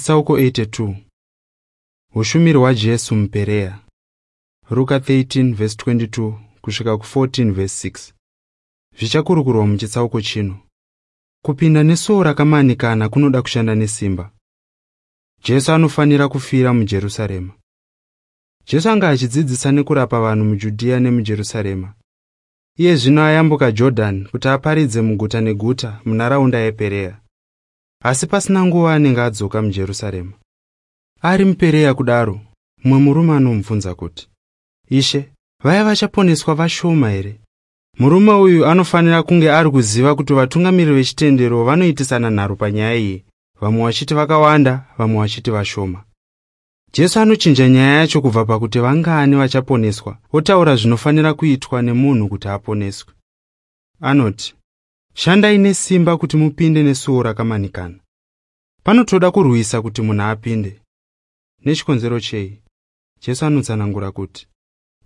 Chitsauko 82. Hushumiri hwaJesu muPerea. Ruka 13:22 kusvika ku14:6. Zvichakurukurwa muchitsauko chino. Kupinda nesuo rakamanikana kunoda kushanda nesimba. Jesu anofanira kufira muJerusarema. Jesu anga achidzidzisa nekurapa vanhu muJudhiya nemuJerusarema. Iye zvino ayambuka Jodhani kuti aparidze muguta neguta munharaunda yePerea. Asi pasina nguva anenge adzoka muJerusarema. Ari muPerea kudaro, mumwe murume anomubvunza kuti, "Ishe, vaya vachaponeswa vashoma here?" Murume uyu anofanira kunge ari kuziva kuti vatungamiri vechitendero vanoitisana nharo panyaya iyi, vamwe vachiti vakawanda, vamwe vachiti vashoma. Jesu anochinja nyaya yacho kubva pakuti vangani vachaponeswa, otaura zvinofanira kuitwa nemunhu kuti aponeswe. Anoti, "Shandai nesimba kuti mupinde nesuo rakamanikana." Panotoda kurwisa kuti munhu apinde. Nechikonzero chei? Jesu anotsanangura kuti,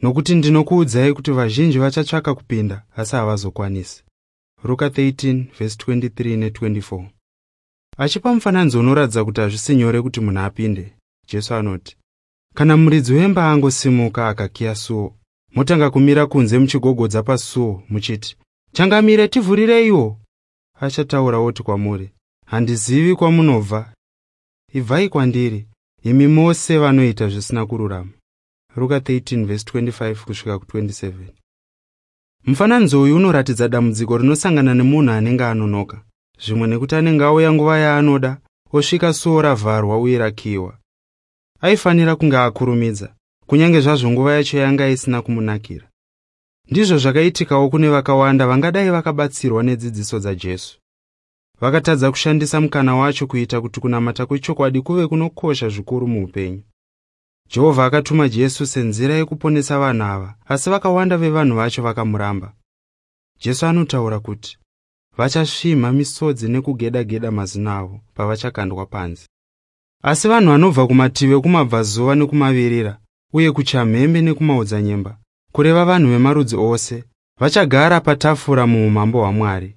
"Nokuti ndinokuudzai kuti vazhinji vachatsvaka kupinda asi havazokwanisi." Ruka 13:23 ne24. Achipa mufananidzo unoratidza kuti hazvisi nyore kuti munhu apinde, Jesu anoti, "Kana muridzi wemba angosimuka akakiya suo, motanga kumira kunze muchigogodza pasuo muchiti, 'Changamire, tivhurireiwo.' Achataura oti kwamuri, 'Handizivi kwamunobva. Ibvai kwandiri, imi mose vanoita zvisina kururama.' Ruka 13:25 kusvika ku27. Mufananidzo uyu unoratidza dambudziko rinosangana nemunhu anenge anonoka, zvimwe nekuti anenge auya nguva yaanoda, osvika suo ravharwa uye rakiyiwa. Aifanira kunge akurumidza, kunyange zvazvo nguva yacho yanga isina kumunakira. Ndizvo zvakaitikawo kune vakawanda vangadai vakabatsirwa nedzidziso dzaJesu. Vakatadza kushandisa mukana wacho kuita kuti kunamata kwechokwadi kuve kunokosha zvikuru muupenyu. Jehovha akatuma Jesu senzira yekuponesa vanhu ava, asi vakawanda vevanhu vacho vakamuramba. Jesu anotaura kuti vachasvimha misodzi nekugeda-geda mazino avo pavachakandwa panze. Asi vanhu vanobva kumativi ekumabvazuva nekumavirira uye kuchamhembe nekumaodzanyemba, kureva vanhu vemarudzi ose, vachagara patafura muumambo hwaMwari.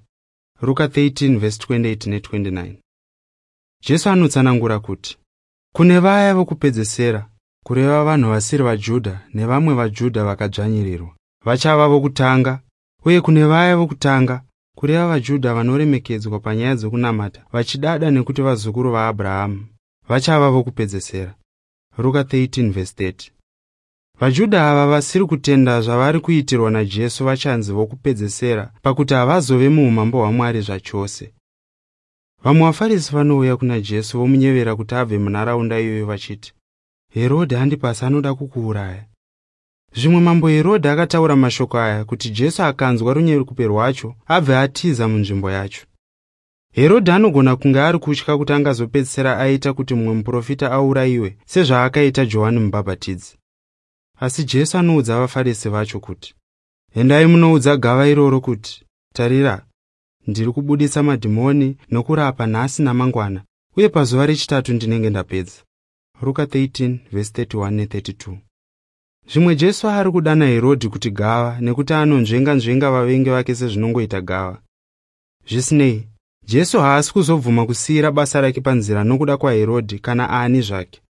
Ruka 13:28 ne29. Jesu anotsanangura kuti kune vaya vokupedzesera, kureva vanhu vasiri vaJudha nevamwe vaJudha vakadzvanyirirwa, vachava vokutanga, uye kune vaya vokutanga, kureva vaJudha vanoremekedzwa panyaya dzokunamata vachidada nekuti vazukuru vaAbhurahamu, vachava vokupedzesera. Ruka 13:30. VaJudha ava vasiri kutenda zvavari kuitirwa naJesu vachanzi vokupedzesera pakuti havazove muumambo hwaMwari zvachose. Vamwe vaFarisi vanouya kuna Jesu vomunyevera kuti abve munharaunda iyoyo vachiti, "Herodhi Andipasi anoda kukuuraya." Zvimwe mambo Herodhi akataura mashoko aya kuti Jesu akanzwa runyerekupe rwacho abve atiza munzvimbo yacho. Herodhi anogona kunge ari kutya kuti angazopedzisira aita kuti mumwe muprofita aurayiwe sezvaakaita Johani Mubhabhatidzi. Asi Jesu anoudza vaFarisi vacho kuti, "Endai munoudza gava iroro kuti, tarira, ndiri kubudisa madhimoni nokurapa nhasi namangwana, uye pazuva rechitatu ndinenge ndapedza." Ruka 13:31 ne32. Zvimwe Jesu ari kudana Herodhi kuti gava nekuti anonzvenga-nzvenga vavengi vake sezvinongoita gava. Zvisinei, Jesu haasi kuzobvuma kusiyira basa rake panzira nokuda kwaHerodhi kana ani zvake.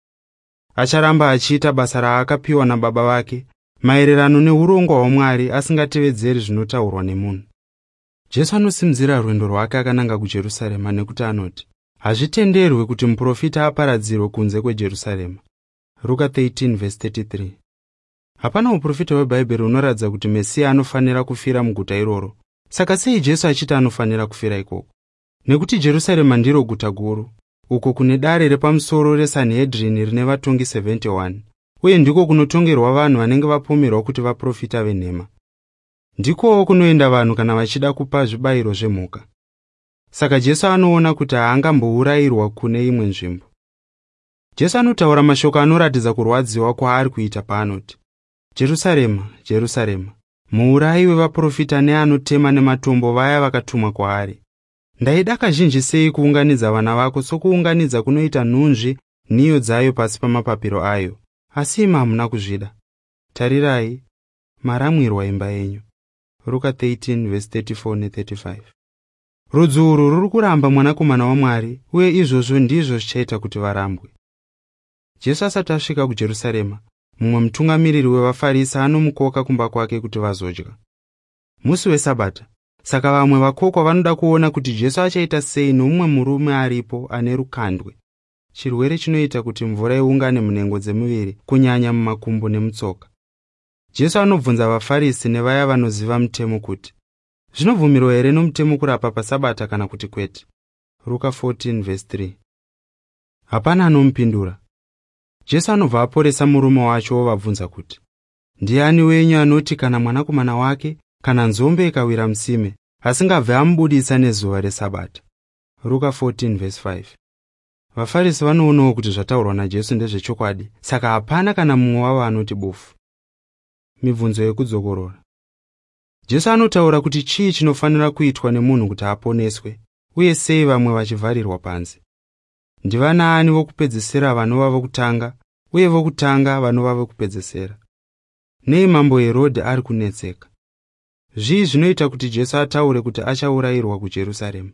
Acharamba achiita basa raakapiwa nababa vake maererano neurongwa hwaMwari, asingatevedzeri zvinotaurwa nemunhu. Jesu anosimudzira rwendo rwake akananga kuJerusarema nekuti anoti, "Hazvitenderwi kuti muprofita aparadzirwe kunze kweJerusarema." Ruka 13:33. Hapana uprofita hweBhaibheri hunoratidza kuti Mesiya anofanira kufira muguta iroro. Saka sei Jesu achiti anofanira kufira ikoko? Nekuti Jerusarema ndiro guta guru, uko kune dare repamusoro reSanhedrini rine vatongi 71, uye ndiko kunotongerwa vanhu vanenge vapomerwa kuti vaprofita venhema. Ndikowo kunoenda vanhu kana vachida kupa zvibayiro zvemhuka. Saka Jesu anoona kuti haangambourayirwa kune imwe nzvimbo. Jesu anotaura mashoko anoratidza kurwadziwa kwaari kuita paanoti, "Jerusarema, Jerusarema, muurayi wevaprofita neanotema nematombo vaya vakatumwa kwaari. Ndaida kazhinji sei kuunganidza vana vako sokuunganidza kunoita nhunzvi nhiyo dzayo pasi pamapapiro ayo, asi imi hamuna kuzvida. Tarirai, maramwirwa imba yenyu." Ruka 13:34 ne35. Rudzi urwu ruri kuramba mwanakomana waMwari, uye izvozvo ndizvo zvichaita kuti varambwe. Jesu asati asvika kuJerusarema, mumwe mutungamiriri wevaFarisi anomukoka kumba kwake kuti vazodya. Musi weSabata, saka vamwe vakokwa vanoda kuona kuti Jesu achaita sei nomumwe murume aripo ane rukandwe, chirwere chinoita kuti mvura iungane munhengo dzemuviri, kunyanya mumakumbo nemutsoka. Jesu anobvunza vaFarisi nevaya vanoziva mutemo kuti, zvinobvumirwa here nomutemo kurapa paSabata kana kuti kwete? Ruka 14:3. Hapana anomupindura. Jesu anobva aporesa murume wacho ovabvunza kuti, ndiani wenyu anoti kana mwanakomana wake kana nzombe ikawira musime asingabve amubudisa nezuva reSabata? Ruka 14:5. VaFarisi vanoonawo kuti zvataurwa naJesu ndezvechokwadi, saka hapana kana mumwe wavo anoti bufu. Mibvunzo yekudzokorora. Jesu anotaura kuti chii chinofanira kuitwa nemunhu kuti aponeswe, uye sei vamwe vachivharirwa panze? Ndivanaani vokupedzisira vanova vokutanga, uye vokutanga vanova vokupedzisira? Nei mambo Herodhi ari kunetseka? Zvii zvinoita kuti Jesu ataure kuti achaurayirwa kuJerusarema?